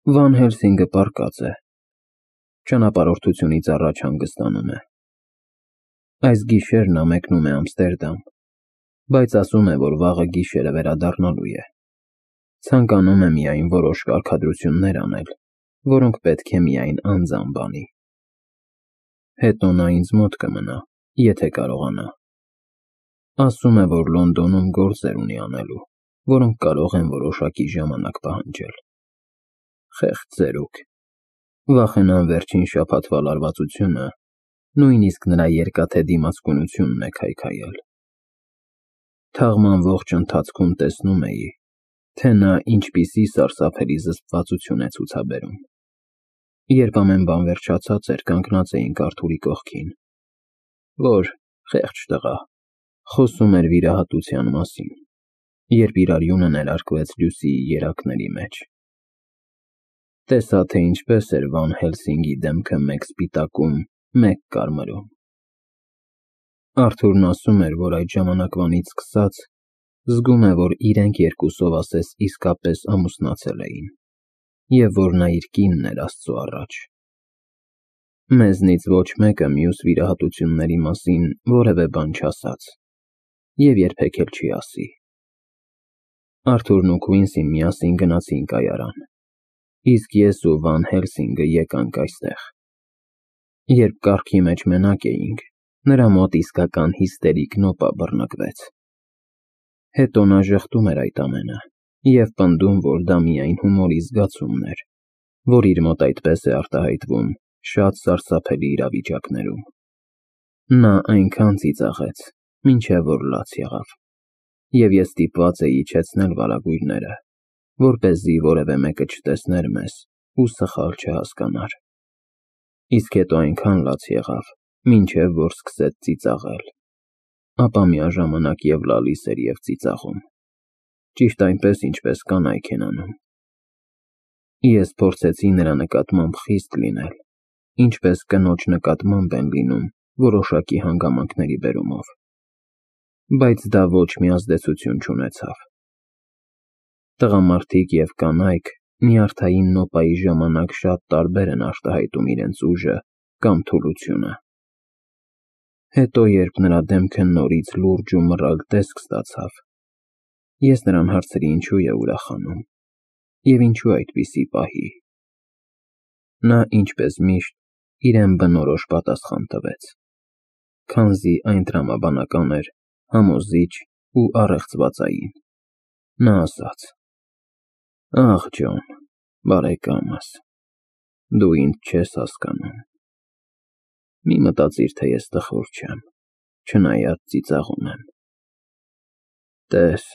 Վան Հելսինգը պառկած է, ճանապարհորդությունից առաջ հանգստանում է։ Այս գիշեր նա մեկնում է Ամստերդամ, բայց ասում է, որ վաղը գիշերը վերադառնալու է։ Ցանկանում է միայն որոշ կարգադրություններ անել, որոնք պետք է միայն անձամբ անի։ Հետո նա ինձ մոտ կմնա, եթե կարողանա։ Ասում է, որ Լոնդոնում գործեր ունի անելու, որոնք կարող են որոշակի ժամանակ պահանջել։ Խեղճ ծերուկ, վախենամ վերջին շաբաթվա լարվածությունը նույնիսկ նրա երկաթե դիմացկունությունն է քայքայել։ Թաղման ողջ ընթացքում տեսնում էի, թե նա ինչպիսի սարսափելի զսպվածություն է ցուցաբերում։ Երբ ամեն բան վերջացած էր, կանգնած էինք Արթուրի կողքին, որ, խեղճ տղա, խոսում էր վիրահատության մասին, երբ իր արյունը ներարկվեց Լյուսիի երակների մեջ։ Տեսա, թե ինչպես էր Վան Հելսինգի դեմքը մեկ սպիտակում, մեկ կարմրում։ Արթուրն ասում էր, որ այդ ժամանակվանից սկսած զգում է, որ իրենք երկուսով ասես իսկապես ամուսնացել էին, և որ նա իր կինն էր Աստծու առաջ։ Մեզնից ոչ մեկը մյուս վիրահատությունների մասին որևէ բան չասաց և երբեք էլ չի ասի։ Արթուրն ու Քվինսին միասին գնացին կայարան, իսկ ես ու Վան Հելսինգը եկանք այստեղ։ Երբ կառքի մեջ մենակ էինք, նրա մոտ իսկական հիստերիկ նոպա բռնկվեց։ Հետո նա ժխտում էր այդ ամենը և պնդում, որ դա միայն հումորի զգացումն էր, որ իր մոտ այդպես է արտահայտվում շատ սարսափելի իրավիճակներում։ Նա այնքան ծիծաղեց, մինչև որ լաց եղավ, և ես ստիպված էի իջեցնել վարագույրները, որպեսզի որևէ մեկը չտեսներ մեզ ու սխալ չհասկանար։ Իսկ հետո այնքան լաց եղավ, մինչև որ սկսեց ծիծաղել, ապա միաժամանակ և լալիս էր և ծիծաղում, ճիշտ այնպես, ինչպես կանայք են անում։ Ես փորձեցի նրա նկատմամբ խիստ լինել, ինչպես կնոջ նկատմամբ են լինում որոշակի հանգամանքների բերումով, բայց դա ոչ մի ազդեցություն չունեցավ։ Տղամարդիկ և կանայք նյարդային նոպայի ժամանակ շատ տարբեր են արտահայտում իրենց ուժը կամ թուլությունը։ Հետո, երբ նրա դեմքը նորից լուրջ ու մռայլ տեսք ստացավ, ես նրան հարցրի ինչու է ուրախանում և ինչու այդպիսի պահի։ Նա, ինչպես միշտ, իրեն բնորոշ պատասխան տվեց, քանզի այն տրամաբանական էր, համոզիչ ու առեղծվածային։ Նա ասաց. «Ախ, Ջոն, բարեկամս, դու ինձ չես հասկանում։ Մի մտածիր, թե ես տխուր չեմ, չնայած ծիծաղում եմ։ Տես,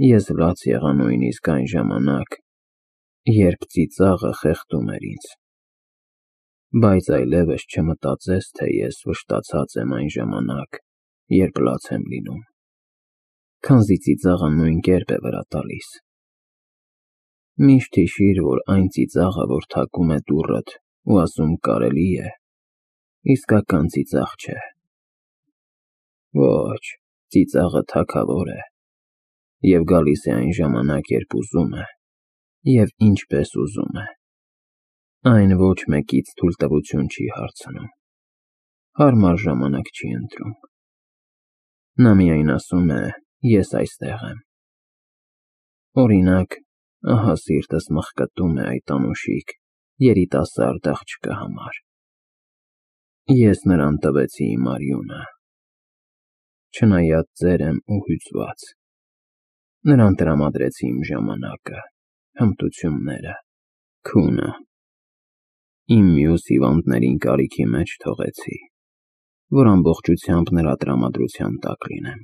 ես լաց եղա նույնիսկ այն ժամանակ, երբ ծիծաղը խեղդում էր ինձ, բայց այլևս չմտածես, թե ես վշտացած եմ այն ժամանակ, երբ լաց եմ լինում, քանզի ծիծաղը նույն կերպ է վրա տալիս։ Միշտ հիշիր, որ այն ծիծաղը, որ թակում է դուռդ ու ասում կարելի է, իսկական ծիծաղ չէ։ Ոչ, ծիծաղը թագավոր է և գալիս է այն ժամանակ, երբ ուզում է և ինչպես ուզում է։ Այն ոչ մեկից թույլտվություն չի հարցնում, հարմար ժամանակ չի ընտրում։ Նա միայն ասում է. ես այստեղ եմ։ Օրինակ, ահա սիրտս մխկտում է այդ անուշիկ, երիտասարդ աղջկա համար։ Ես նրան տվեցի իմ արյունը, չնայած ծեր եմ ու հյուծված, նրան տրամադրեցի իմ ժամանակը, հմտությունները, քունը, իմ մյուս հիվանդներին կարիքի մեջ թողեցի, որ ամբողջությամբ նրա տրամադրության տակ լինեմ։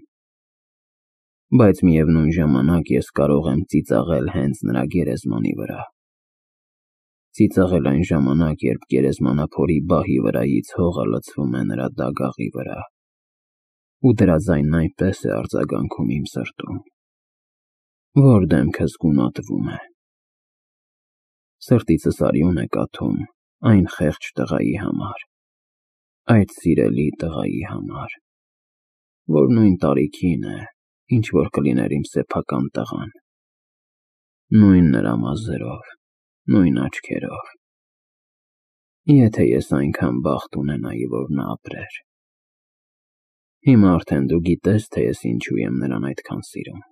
Բայց միևնույն ժամանակ ես կարող եմ ծիծաղել հենց նրա գերեզմանի վրա։ Ծիծաղել այն ժամանակ, երբ գերեզմանափորի բահի վրայից հողը լցվում է նրա դագաղի վրա, ու դրա ձայնն այնպես է արձագանքում իմ սրտում, որ դեմքս գունատվում է։ Սրտիցս արյուն է կաթում այն խեղճ տղայի համար, այդ սիրելի տղայի համար, որ նույն տարիքին է, ինչ որ կլիներ իմ սեփական տղան, նույն նրա մազերով, նույն աչքերով։ Եթե ես այնքան բախտ ունենայի, որ նա ապրեր։ Հիմա արդեն դու գիտես, թե ես ինչու եմ նրան այդքան սիրում։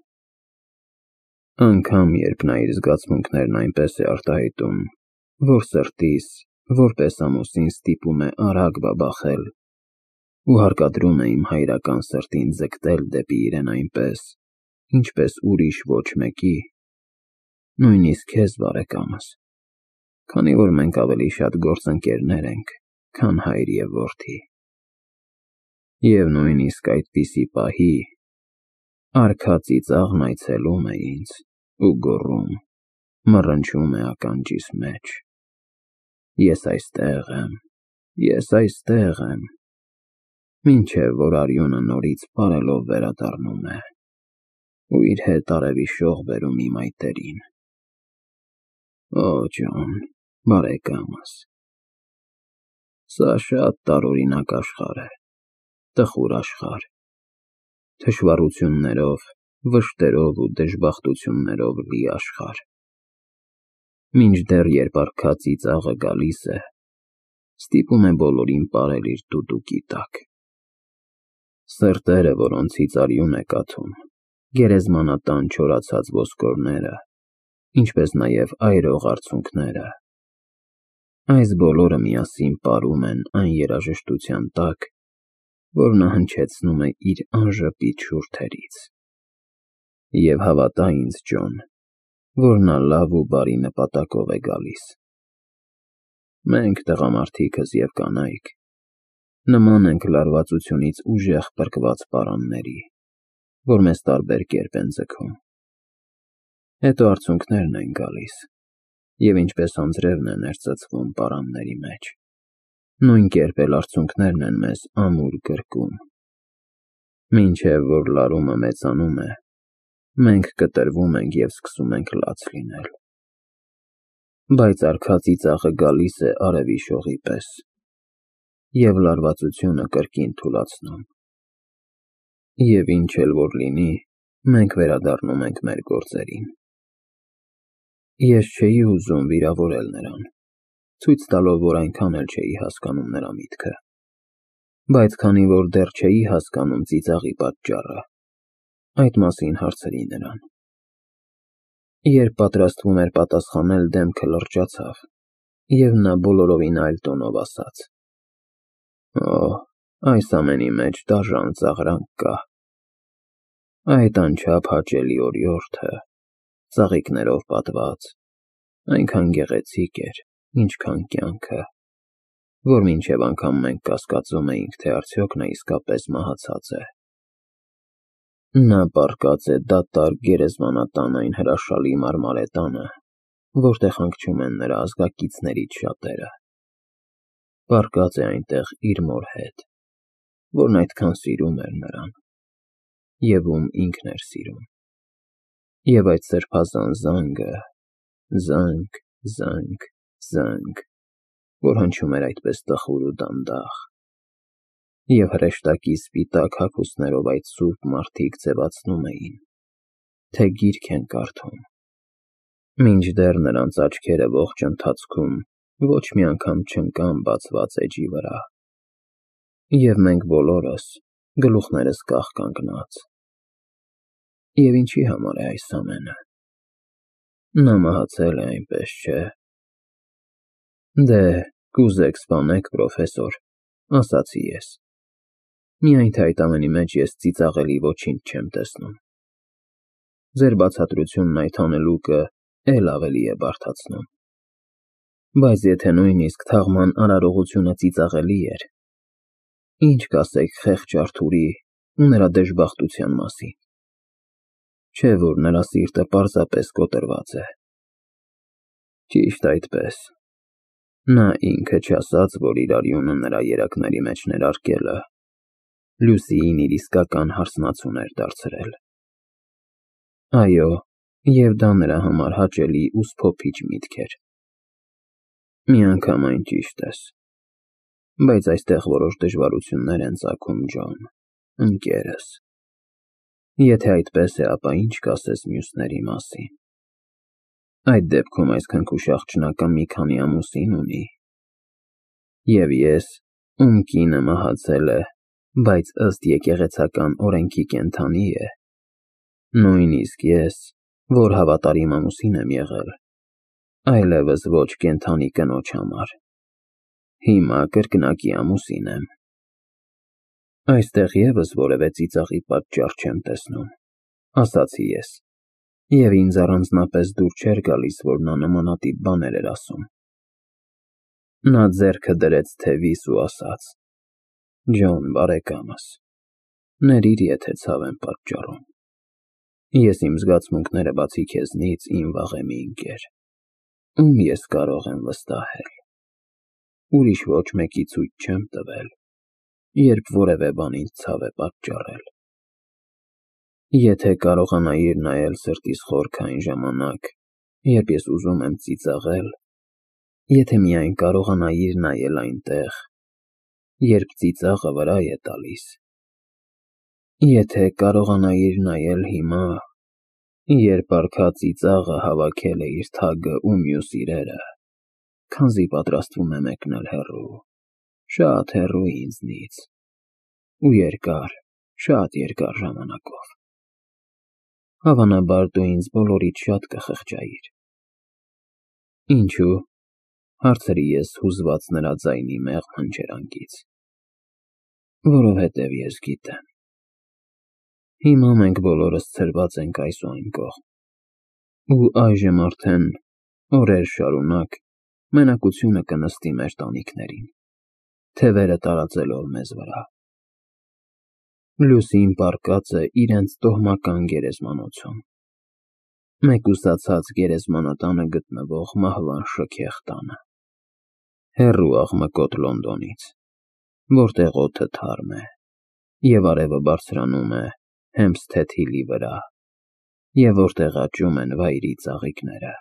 Անգամ երբ նա իր զգացմունքներն այնպես է արտահայտում, որ սրտիս, որպես ամուսին ստիպում է արագ բաբախել ու հարկադրում է իմ հայրական սրտին ձգտել դեպի իրեն այնպես, ինչպես ուրիշ ոչ մեկի, նույնիսկ քեզ, բարեկամս, քանի որ մենք ավելի շատ գործընկերներ ենք, քան հայր և որդի։ Եվ նույնիսկ այդպիսի պահի արքա ծիծաղն այցելում է ինձ ու գոռում, մռնչում է ականջիս մեջ. Ես այստեղ եմ, մինչև որ արյունը նորից պարելով վերադառնում է ու իր հետ արևի շող բերում իմ այտերին։ Օ, Ջոն, բարեկամս, սա շատ տարօրինակ աշխարհ է, տխուր աշխարհ, թշվառություններով, վշտերով ու դժբախտություններով լի աշխարհ։ Մինչդեռ երբ արքա ծիծաղը գալիս է, ստիպում է բոլորին պարել իր դուդուկի տակ։ Սրտերը, որոնցից արյուն է կաթում, գերեզմանատան չորացած ոսկորները, ինչպես նաև այրող արցունքները, այս բոլորը միասին պարում են այն երաժշտության տակ, որ նա հնչեցնում է իր անժպիտ շուրթերից։ Եվ հավատա ինձ, Ջոն, որ նա լավ ու բարի նպատակով է գալիս։ Մենք, տղամարդիկս և կանայք, նման ենք լարվածությունից ուժեղ պրկված պարանների, որ մեզ տարբեր կերպ են ձգում։ Հետո արցունքներն են գալիս, և ինչպես անձրևն է ներծծվում պարանների մեջ, նույն կերպ էլ արցունքներն են մեզ ամուր գրկում։ Մինչև որ լարումը մեծանում է, մենք կտրվում ենք և սկսում ենք լաց լինել։ Բայց արքա ծիծաղը գալիս է արևի շողի պես և լարվածությունը կրկին թուլացնում։ Եվ ինչ էլ որ լինի, մենք վերադառնում ենք մեր գործերին։ Ես չէի ուզում վիրավորել նրան, ցույց տալով, որ այնքան էլ չէի հասկանում նրա միտքը, բայց քանի որ դեռ չէի հասկանում ծիծաղի պատճառը, այդ մասին հարցրի նրան։ Երբ պատրաստվում էր պատասխանել, դեմքը լրջացավ, և նա բոլորովին այլ տոնով ասաց. Օ, այս ամենի մեջ դաժան ծաղրանք կա։ Այդ անչափ հաճելի օրիորդը, ծաղիկներով պատված, այնքան գեղեցիկ էր, ինչքան կյանքը, որ մինչև անգամ մենք կասկածում էինք, թե արդյոք նա իսկապես մահացած է։ Նա պառկած է դատարկ գերեզմանատան այն հրաշալի մարմարե տանը, որտեղ հանգչում են նրա ազգակիցներից շատերը։ Պառկած է այնտեղ իր մոր հետ, որն այդքան սիրում էր նրան, և ում ինքն էր սիրում։ Եվ այդ սրբազան զանգը, զանգ, զանգ, զանգ, որ հնչում էր այդպես տխուր ու դանդաղ, և հրեշտակի սպիտակ հագուստներով այդ սուրբ մարդիկ ձևացնում էին, թե գիրք են կարդում, մինչդեռ նրանց աչքերը ողջ ընթացքում ոչ մի անգամ չընկան բացված էջի վրա, և մենք բոլորս, գլուխներս կախ կանգնած։ Եվ ինչի համար է այս ամենը։ Նա մահացել է, այնպես չէ։ Դե, կուզեք սպանեք, պրոֆեսոր, ասացի ես։ Միայն թե այդ ամենի մեջ ես ծիծաղելի ոչինչ չեմ տեսնում։ Ձեր բացատրությունն այդ հանելուկը էլ ավելի է բարդացնում։ Բայց եթե նույնիսկ թաղման արարողությունը ծիծաղելի էր, ինչ կասեք խեղճ Արթուրի ու նրա դժբախտության մասին։ Չէ՞ որ նրա սիրտը պարզապես կոտրված է։ Ճիշտ այդպես։ Նա ինքը չասաց, որ իր արյունը նրա երակների մեջ ներարկելը Լուսիին իր իսկական հարսնացուն էր դարձրել։ Այո, և դա նրա համար հաճելի ու սփոփիչ միտք էր։ Միանգամայն ճիշտ ես։ Բայց այստեղ որոշ դժվարություններ են ծագում, Ջոն, ընկերս։ Եթե այդպես է, ապա ինչ կասես մյուսների մասին։ Այդ դեպքում այս քնքուշ աղջնակը մի քանի ամուսին ունի։ Եվ ես, ում կինը մահացել է, բայց ըստ եկեղեցական օրենքի կենդանի է, նույնիսկ ես, որ հավատարիմ ամուսին եմ եղել, այլևս ոչ կենդանի կնոջ համար, հիմա կրկնակի ամուսին եմ։ Այստեղ ևս որևէ ծիծաղի պատճառ չեմ տեսնում, ասացի ես, և ինձ առանձնապես դուր չէր գալիս, որ նա նմանատիպ բաներ էր ասում։ Նա ձեռքը դրեց թևիս ու ասաց. «Ջոն, բարեկամս, ներիր, եթե ցավ եմ պատճառում։ Ես իմ զգացմունքները բացի քեզնից իմ վաղեմի ընկեր, ում ես կարող եմ վստահել։ Ուրիշ ոչ մեկի ցույց չեմ տվել, երբ որևէ բան ինձ ցավ է պատճառել։ Եթե կարողանայիր նայել սրտիս խորքը այն ժամանակ, երբ ես ուզում եմ ծիծաղել, եթե միայն կարողանայիր նայել այնտեղ, երբ ծիծաղը վրա է տալիս, եթե կարողանայիր նայել հիմա, երբ արքա ծիծաղը հավաքել է իր թագը ու մյուս իրերը, քանզի պատրաստվում է մեկնել հեռու, շատ հեռու ինձնից, ու երկար, շատ երկար ժամանակով, հավանաբար դու ինձ բոլորից շատ կխղճայիր»։ Ինչու՞, հարցրի ես, հուզված նրա ձայնի մեղմ հնչերանգից։ Որովհետև ես գիտեմ։ Հիմա մենք բոլորս ցրված ենք այս ու այն կողմ, ու այժմ արդեն օրեր շարունակ մենակությունը կնստի մեր տանիքներին, թևերը տարածելով մեզ վրա։ Լուսին պառկած է իրենց տոհմական գերեզմանոցում, մեկուսացած գերեզմանատանը գտնվող մահվան շքեղ տանը, հեռու աղմկոտ Լոնդոնից, որտեղ օդը թարմ է, և արևը բարձրանում է Հեմփսթեթ Հիլի վրա, և որտեղ աճում են վայրի ծաղիկները։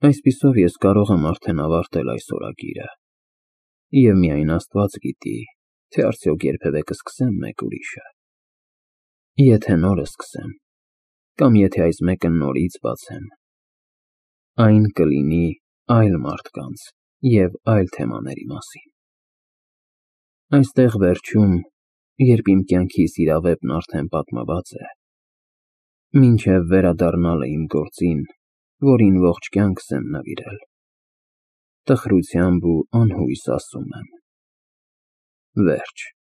Այսպիսով ես կարող եմ արդեն ավարտել այս օրագիրը, և միայն Աստված գիտի, թե արդյոք երբևէ կսկսեմ մեկ ուրիշը։ Եթե նոր սկսեմ, կամ եթե այս մեկը նորից բացեմ, այն կլինի այլ մարդկանց և այլ թեմաների մասին։ Այստեղ վերջում, երբ իմ կյանքիս իրավեպն արդեն պատմված է, մինչև վերադառնալը իմ գործին, որին ողջ կյանքս եմ նվիրել, տխրությամբ ու անհույս ասում եմ. վերջ։